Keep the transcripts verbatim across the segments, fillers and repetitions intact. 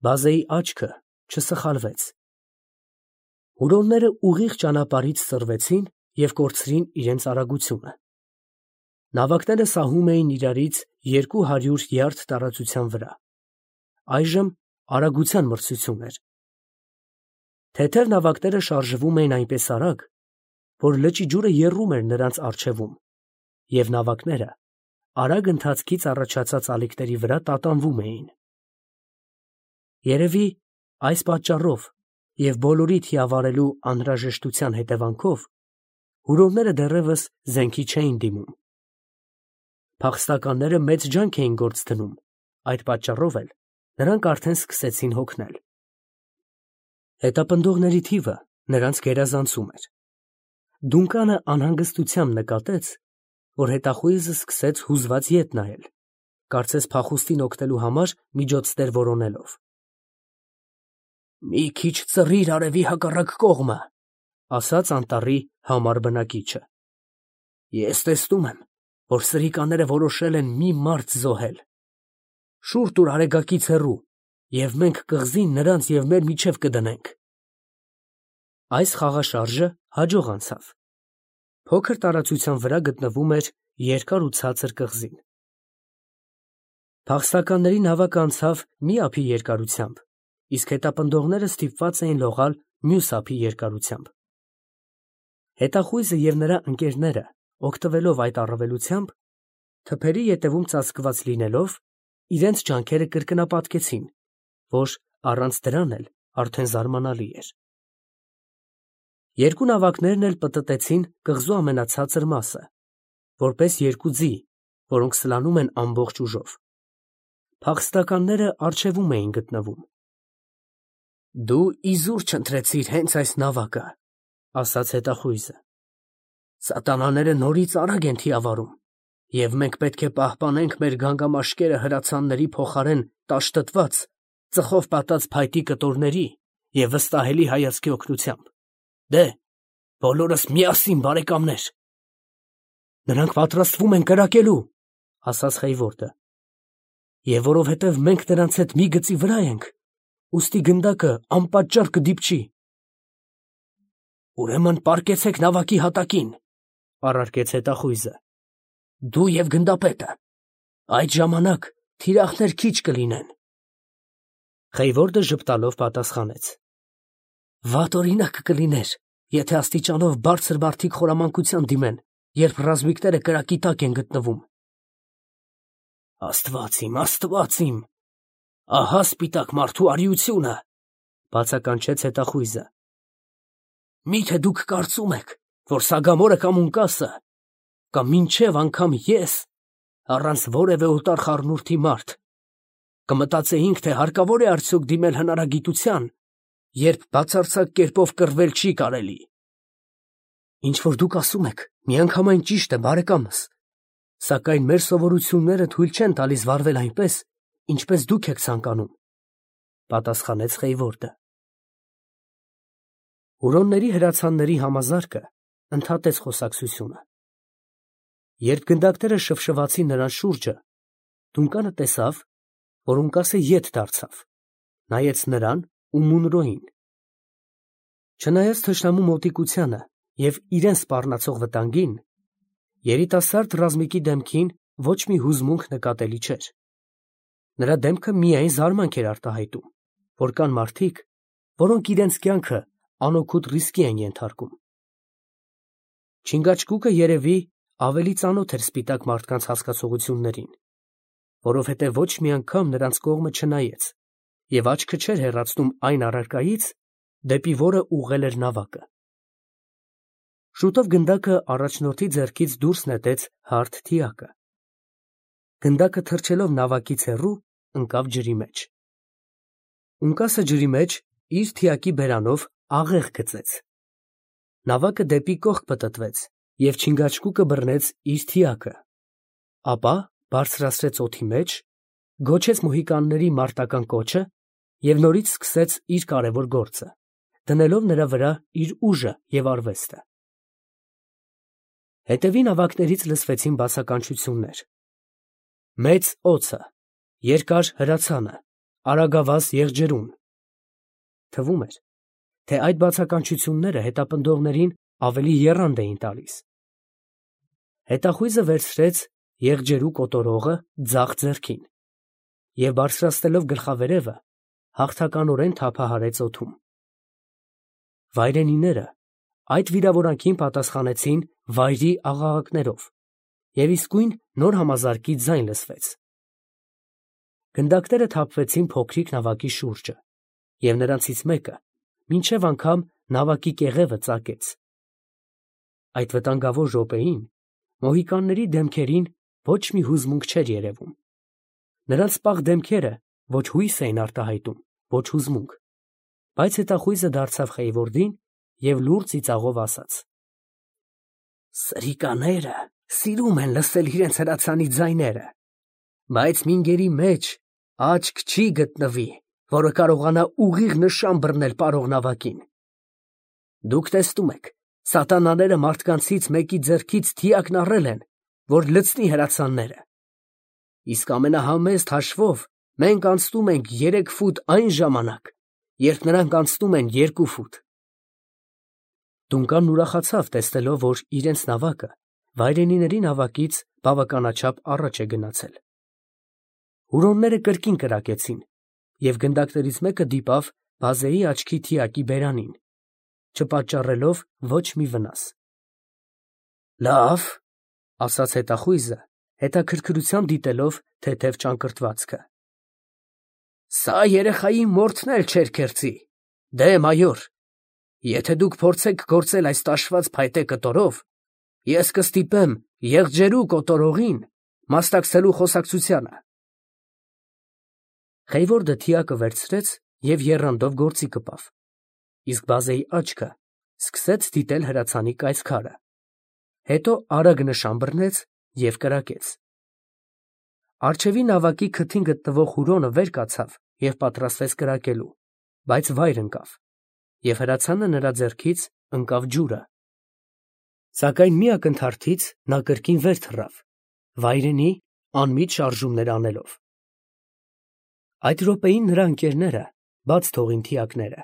Բազեի աչքը չսխալվեց։ Հուրոնները ուղիղ ճանապարհից սրվեցին և կորցրին իրենց արագությունը։ Նավակները սահում էին իրարից երկու հարյուր յարդ տարածության վրա, այժմ արագության մրցություն էր։ Թեթև նավակները շարժվում էին այնպես արագ, որ լճի ջուրը եռում էր նրանց առջևում, և նավակները արագ ընթացքից առաջացած ալիքների վրա տատանվում էին։ Երևի այս պատճառով և բոլորի թիավարելու անհրաժեշտության հետևանքով հուրոնները դեռևս զենքի չէին դիմում։ Փախստականները մեծ ջանք էին գործ դնում, այդ պատճառով էլ նրանք արդեն սկսեցին հոգնել։ Հետապնդողների թիվը նրանց գերազանցում էր։ Դունկանը անհանգստությամբ նկատեց, որ հետախույզը սկսեց հուզված ետ նայել, կարծես փախուստին օգնելու համար միջոցներ որոնելով։ «Մի քիչ ծռիր արևի հակառակ կողմը», ֊ ասաց անտառի համառ բնակիչը։ «Ես տեսնում եմ, որ սրիկաները որոշել են մի մարդ զոհել։ Շուռ տուր արեգակից հեռու, և մենք կղզին նրանց և մեր միջև կդնենք»։ Այս խաղաշարժը հաջող անցավ։ Փոքր տարածության վրա գտնվում էր երկար ու ցածր կղզին։ Փախստականների նավակը անցավ մի ափի երկարությամբ, իսկ հետապնդողները ստիպված էին լողալ մյուս ափի երկարությամբ։ Հետախույզը և նրա ընկերները, օգտվելով այդ առավելությամբ, թփերի ետևում ծածկված լինելով, իրենց ջանքերը կրկնապատկեցին, որ առանց դրան էլ արդեն զարմանալի էր։ Երկու նավակներն էլ պտտեցին կղզու ամենացածր մասը, որպես երկու ձի, որոնք սլանում են ամբողջ ուժով։ Փախստականները առջևում էին գտնվում։ «Դու իզուր չընտրեցիր հենց այս նավակը», ֊ ասաց հետախույզը։ «Սատանաները նորից արագ են թիավարում, և մենք պետք է պահպանենք մեր գանգամաշկերը հրացանների փոխարեն տաշտտված, ծխով պատած փայտի կտորների և վստահելի հայացքի օգնությամբ։ Դե՛հ, բոլորս միասին, բարեկամներ»։ «Նրանք պատրաստվում են կրակելու», ֊ ասաց Խեյվորդը։ «Եվ որովհետև մենք նրանց հետ մի գծի վրա ենք, ուստի գնդակը անպատճառ կդիպչի»։ «Ուրեմն պառկեցեք նավակի հատակին», ֊ առարկեց հետախույզը։ «Դու և գնդապետը. այդ ժամանակ թիրախներ քիչ կլինեն»։ Խեյվորդը ժպտալով պատասխանեց. «Վատ օրինակ կլիներ, եթե աստիճանով բարձր մարդիկ խորամանկության դիմեն, երբ ռազմիկները կրակի տակ են գտնվում»։ «Աստված իմ, Աստված իմ, ահա սպիտակ մարդու արիությունը», ֊ բացականչեց հետախույզը։ «Մի՞թե դուք կարծում եք, որ Սագամորը կամ Ունկասը, կամ մինչև անգամ ես, առանց որևէ օտար խառնուրդի մարդ, կմտածեինք, թե հարկավոր է արդյոք դիմել հնարագիտության, երբ բացարձակ կերպով կռվել չի կարելի»։ «Ինչ որ դուք ասում եք, միանգամայն ճիշտ է, բարեկամս, սակայն մեր սովորությունները թույլ չեն տալիս վարվել այնպես, ինչպես դուք եք ցանկանում», ֊ պատասխանեց Խեյվորդը։ Հուրոնների հրացանների համազարկը ընդհատեց խոսակցությունը։ Երբ գնդակները շվշվացին նրանց շուրջը, Դունկանը տեսավ, որ Ունկասը ետ դարձավ, նայեց նրան ու Մունրոյին։ Չնայած թշնամու մոտիկությանը և իրեն սպառնացող վտանգին, երիտասարդ ռազմիկի դեմքին ոչ մի հուզմունք նկատելի չէր։ Նրա դեմքը միայն զարմանք էր արտահայտում, որ կան մարդիկ, որոնք իրենց կյանքը անօգուտ ռիսկի են ենթարկում։ Չինգաչգուկը երևի ավելի ծանոթ էր սպիտակ մարդկանց հասկացողություններին, որովհետև ոչ մի անգամ նրանց կողմը չնայեց և աչքը չէր հեռացնում այն առարկայից, դեպի որը ուղղել էր նավակը։ Շուտով գնդակը առաջնորդի ձեռքից դուրս նետեց հարթ թիակը։ Գնդակը թռչելով նավակից հեռու, ընկավ ջրի մեջ։ Ունկասը ջրի մեջ իր թիակի բերանով աղեղ գծեց։ Նավակը դեպի կողք պտտվեց, և Չինգաչգուկը բռնեց իր թիակը, ապա բարձրացրեց օդի մեջ, գոչեց մոհիկանների մարտական կոչը և նորից սկսեց իր կարևոր գործը, դնելով նրա վրա իր ուժը և արվեստը։ Հետևի նավակներից լսվեցին բացականչություններ. «Մեծ օձը», «Երկար հրացանը», արագավազ եղջերուն։ Թվում էր, թե այդ բացականչությունները հետապնդողներին ավելի եռանդ էին տալիս։ Հետախույզը վերցրեց եղջերու կոտորողը ձախ ձեռքին և բարձրացնելով գլխավերևը հաղթականորեն թափահարեց օդում։ Վայրենիները այդ վիրավորանքին պատասխանեցին վայրի աղաղակներով, և իսկույն նոր համազարկի ձայն լսվեց։ Գնդակները թափվեցին փոքրիկ նավակի շուրջը, և նրանցից մեկը մինչև անգամ նավակի կեղևը ծակեց։ Այդ վտանգավոր րոպեին մոհիկանների դեմքերին ոչ մի հուզմունք չէր երևում. նրանց պաղ դեմքերը ոչ հույս էին արտահայտում, ոչ հուզմունք, բայց հետախույզը դարձավ Խեյվորդին և լուռ ծիծաղով ասաց. «Սրիկաները սիրում են լսել իրենց հրացանի ձայները, բայց մինգերի մեջ աչք չի գտնվի, որը կարողանա ուղիղ նշան բռնել պարող նավակին։ Դուք տեսնում եք, սատանաները մարդկանցից մեկի ձեռքից թիակն առել են, որ լցնի հրացանները, իսկ ամենահամեստ հաշվով մենք անցնում ենք երեք ֆուտ այն ժամանակ, երբ նրանք անցնում են երկու ֆուտ»։ Դունկանն ուրախացավ, տեսնելով, որ իրենց նավակը վայրենիների նավակից բավականաչափ առաջ է գնացել։ Հուրոնները կրկին կրակեցին, և գնդակներից մեկը դիպավ բազեի աչքի թիակի բերանին, չպատճառելով ոչ մի վնաս։ «Լավ», ֊ ասաց հետախույզը, հետաքրքրությամբ դիտելով թեթև ճակռվածքը։ «Սա երեխայի մորթն էլ չէր քերծի, դե մայոր, եթե դուք փորձեք գործել այս տաշված փայտե կտորով, ես կստիպեմ եղջերու կոտորողին մասնակցելու խոսակցությանը»։ Խեյվորդը թիակը վերցրեց և եռանդով գործի կպավ, իսկ բազեի աչքը սկսեց դիտել հրացանի կայծքարը, հետո արագ նշան բռնեց և կրակեց։ Առջևի նավակի քթին գտնվող հուրոնը վեր կացավ և պատրաստվեց կրակելու, բայց վայր ընկավ, և հրացանը նրա ձեռքից ընկավ ջուրը։ Սակայն մի ակնթարթից նա կրկին վեր թռավ, վայրենի անմիջ շարժումներ անելով։ Այդ րոպեին նրա ընկերները բաց թողին թիակները,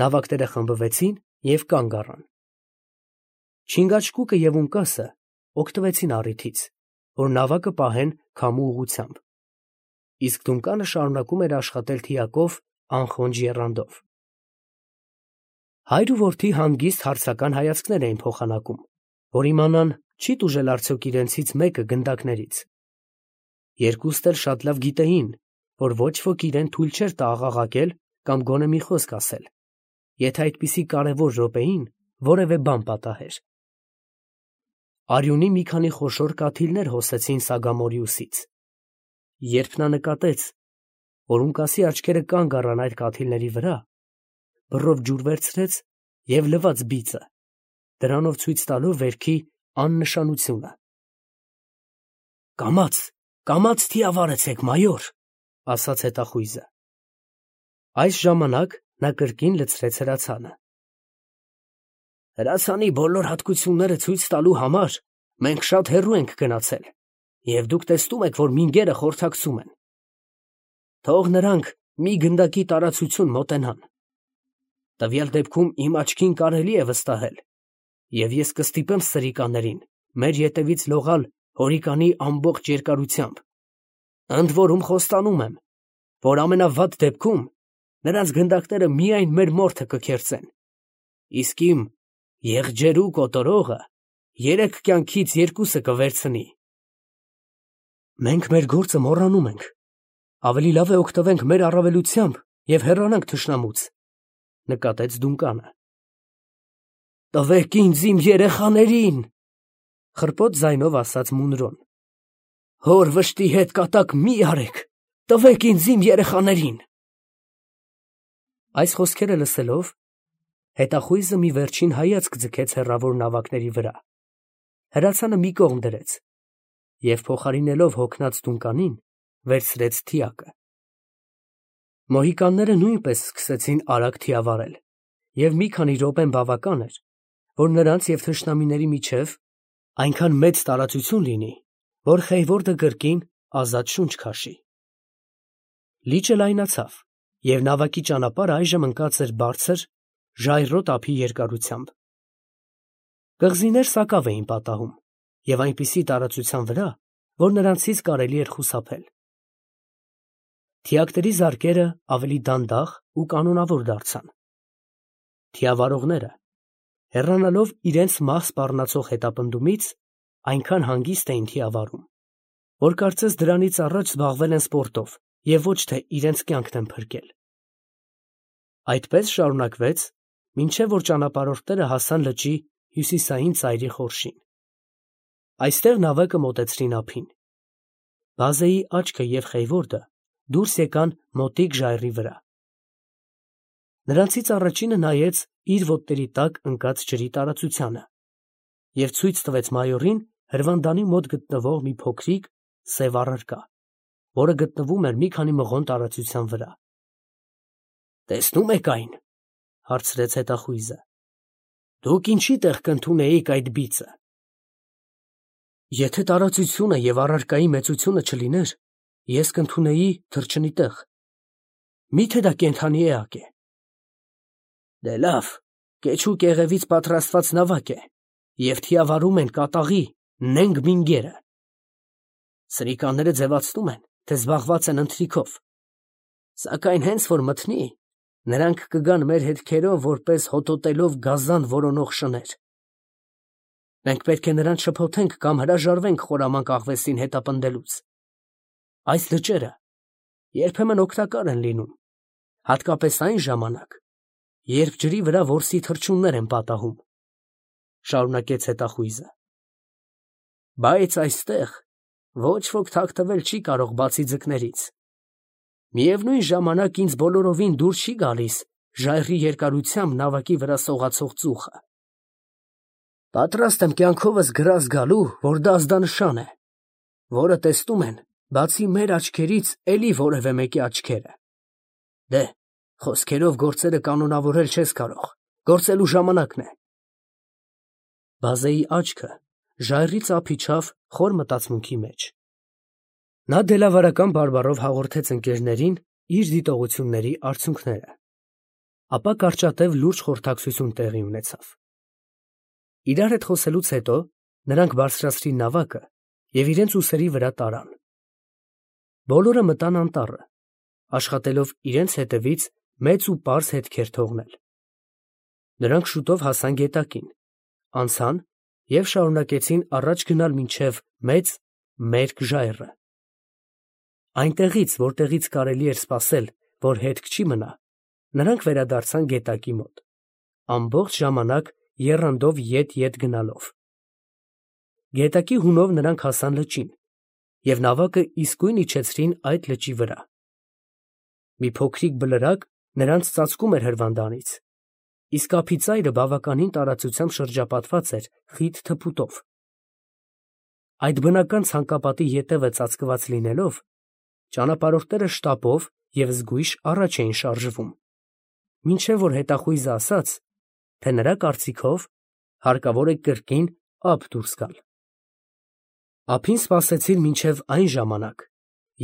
նավակները խմբվեցին և կանգ առան։ Չինգաչգուկը և Ունկասը օգտվեցին առիթից, որ նավակը պահեն քամու ուղղությամբ, իսկ Դունկանը շարունակում էր աշխատել թիակով անխոնջ եռանդով։ Հայր ու որդի հանգիստ հարցական հայացքներ էին փոխանակում, որ իմանան չի՞ տուժել արդյոք իրենցից մեկը գնդակներից։ Երկուստ էլ շատ լավ գիտեին, որ ոչ ոք իրեն թույլ չէր տա աղաղակել կամ գոնե մի խոսք ասել, եթե այդպիսի կարևոր րոպեին որևէ բան պատահեր։ Արյունի մի քանի խոշոր կաթիլներ հոսեցին Սագամորիուսից։ Երբ նա նկատեց, որ Ունկասի աչքերը կանգ առան այդ կաթիլների վրա, բռով ջուր վերցրեց և լվաց բիծը, դրանով ցույց տալով վերքի աննշանությունը։ «Կամաց, կամաց թիավարեցեք, մայոր», ֊ ասաց հետախույզը։ Այս ժամանակ նա կրկին լցրեց հրացանը։ «Հրացանի բոլոր հատկությունները ցույց տալու համար մենք շատ հեռու ենք գնացել, և դուք տեսնում եք, որ մինգերը խորհրդակցում են։ Թող նրանք մի գնդակի տարածություն մոտենան։ Տվյալ դեպքում իմ աչքին կարելի է վստահել, և ես կստիպեմ սրիկաներին մեր ետևից լողալ հորիկանի ամբողջ երկարությամբ, ընդ որում խոստանում եմ, որ ամենավատ դեպքում նրանց գնդակները միայն մեր մորթը կքերծեն, իսկ իմ եղջերու կոտորողը երեք կյանքից երկուսը կվերցնի»։ «Մենք մեր գործը մոռանում ենք, ավելի լավ է օգտվենք մեր առավելությամբ և հեռանանք թշնամուց», ֊ նկատեց Դունկանը։ «Տվեք ինձ իմ երեխաներին», ֊ խռպոտ ձայնով ասաց Մունրոն։ «Հոր վշտի հետ կատակ մի արեք, տվեք ինձ իմ երեխաներին»։ Այս խոսքերը լսելով, հետախույզը մի վերջին հայացք ձգեց հեռավոր նավակների վրա, հրացանը մի կողմ դրեց և փոխարինելով հոգնած Դունկանին, վերցրեց թիակը։ Մոհիկանները նույնպես սկսեցին արագ թիավարել, և մի քանի րոպեն բավական էր, որ նրանց և թշնամիների միջև այնքան մեծ տարածություն լինի, որ Խեյվորդը կրկին ազատ շունչ քաշի։ Լիճը լայնացավ, և նավակի ճանապարհը այժմ ընկած էր բարձր, ժայռոտ ափի երկարությամբ։ Կղզիներ սակավ էին պատահում, և այնպիսի տարածության վրա, որ նրանցից կարելի էր խուսափել։ Թիակների զարկերը ավելի դանդաղ ու կանոնավոր դարձան։ Թիավարողները, հեռանալով իրենց մահ սպառնացող հետապնդումից, այնքան հանգիստ էին թիավարում, որ կարծես դրանից առաջ զբաղվել են սպորտով և ոչ թե իրենց կյանքն են փրկել։ Այդպես շարունակվեց, մինչև որ ճանապարհորդները հասան լճի հյուսիսային ծայրի խորշին։ Այստեղ նավակը մոտեցրին ափին։ Բազեի աչքը և Խեյվորդը դուրս եկան մոտիկ ժայռի վրա։ Նրանցից առաջինը նայեց իր ոտների տակ ընկած ջրի տարածությանը և ցույց տվեց մայորին հրվանդանի մոտ գտնվող մի փոքրիկ սև առարկա, որը գտնվում էր մի քանի մղոն տարածության վրա։ ֊ Տեսնո՞ւմ եք այն, ֊ հարցրեց հետախույզը։ ֊ Դուք ինչի տեղ կընդունեիք այդ բիծը։ ֊ Եթե տարածությունը և առարկայի մեծությունը չլիներ, ես կընդունեի թռչնի տեղ։ Մի՞թե դա կենդանի էակ է։ ֊ Դե լավ, կեչու կեղևից պատրաստված նավակ է, և թիավարում են կատաղի նենգ մինգերը։ Սրիկանները ձևացնում են, թե զբաղված են ընթրիքով, սակայն հենց որ մթնի, նրանք կգան մեր հետքերով որպես հոտոտելով գազան որոնող շներ։ Մենք պետք է նրանց շփոթենք կամ հրաժարվենք խորամանկ աղվեսին հետապնդելուց։ Այս լճերը երբեմն օգտակար են լինում, հատկապես այն ժամանակ, երբ ջրի վրա որսի թռչուններ են պատահում, ֊ շարունակեց հետախույզը։ Բայց այստեղ ոչ ոք թաքնվել չի կարող բացի ձկներից։ Միևնույն ժամանակ ինձ բոլորովին դուր չի գալիս ժայռի երկարությամբ նավակի վրա սողացող ծուխը։ Պատրաստ եմ կյանքովս գրազ գալու, որ դա ազդանշան է, որը տեսնում են, բացի մեր աչքերից, էլի որևէ մեկի աչքերը։ Դե, խոսքերով գործերը կանոնավորել չես կարող, գործելու ժամանակն է։ Բազեի աչքը ժայռից ափ իջավ խոր մտածմունքի մեջ։ Նա դելավարական բարբառով հաղորդեց ընկերներին իր դիտողությունների արդյունքները, ապա կարճատև լուրջ խորհրդակցություն տեղի ունեցավ։ Իրար հետ խոսելուց հետո նրանք բարձրացրին նավակը և իրենց ուսերի վրա տարան։ Բոլորը մտան անտառը, աշխատելով իրենց հետևից մեծ ու պարզ հետքեր թողնել։ Նրանք շուտով հասան գետակին, անցան և շարունակեցին առաջ գնալ մինչև մեծ մերկ ժայռը։ Այնտեղից, որտեղից կարելի էր սպասել, որ հետք չի մնա, նրանք վերադարձան գետակի մոտ, ամբողջ ժամանակ եռանդով ետ֊ետ գնալով։ Գետակի հունով նրանք հասան լճին և նավակը իսկույն իջեցրին այդ լճի վրա։ Մի փոքրիկ բլրակ նրանց ծածկում էր հրվանդանից, իսկ ափի ծայրը բավականին տարածությամբ շրջապատված էր խիտ թփուտով։ Այդ բնական ցանկապատի ետևը ծածկված լինելով, ճանապարհորդները շտապով և զգույշ առաջ էին շարժվում, մինչև որ հետախույզը ասաց, թե նրա կարծիքով հարկավոր է կրկին ափ դուրս գալ։ Ափին սպասեցին մինչև այն ժամանակ,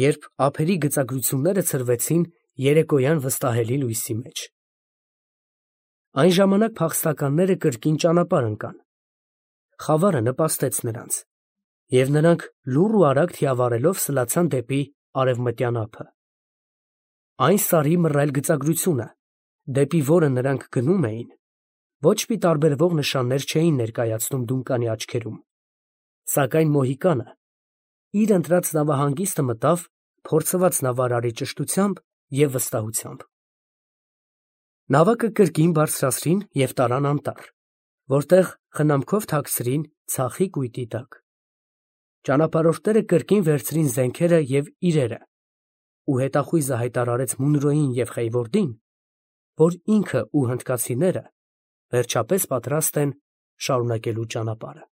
երբ ափերի գծագրությունները ցրվեցին երեկոյան վստահելի լույսի մեջ։ Այն ժամանակ փախստականները կրկին ճանապարհ ընկան։ Խավարը նպաստեց նրանց, և նրանք լուռ ու արագ թիավարելով սլացան դեպի արևմտյան ափը։ Այն սարի մռայլ գծագրությունը, դեպի որը նրանք գնում էին, ոչ մի տարբերվող նշաններ չէին ներկայացնում Դունկանի աչքերում, սակայն Մոհիկանը իր ընտրած նավահանգիստը մտավ փորձված նավարարի ճշտությամբ և վստահությամբ։ Նավակը կրկին բարձրացրին և տարան անտառ, որտեղ խնամքով թաքցրին ցախի կույտի տակ։ Ճանապարհորդները կրկին վերցրին զենքերը և իրերը, ու հետախույզը հայտարարեց Մունրոյին և Խեյվորդին, որ ինքը ու հնդկացիները վերջապես պատրաստ են շարունակելու ճանապարհը։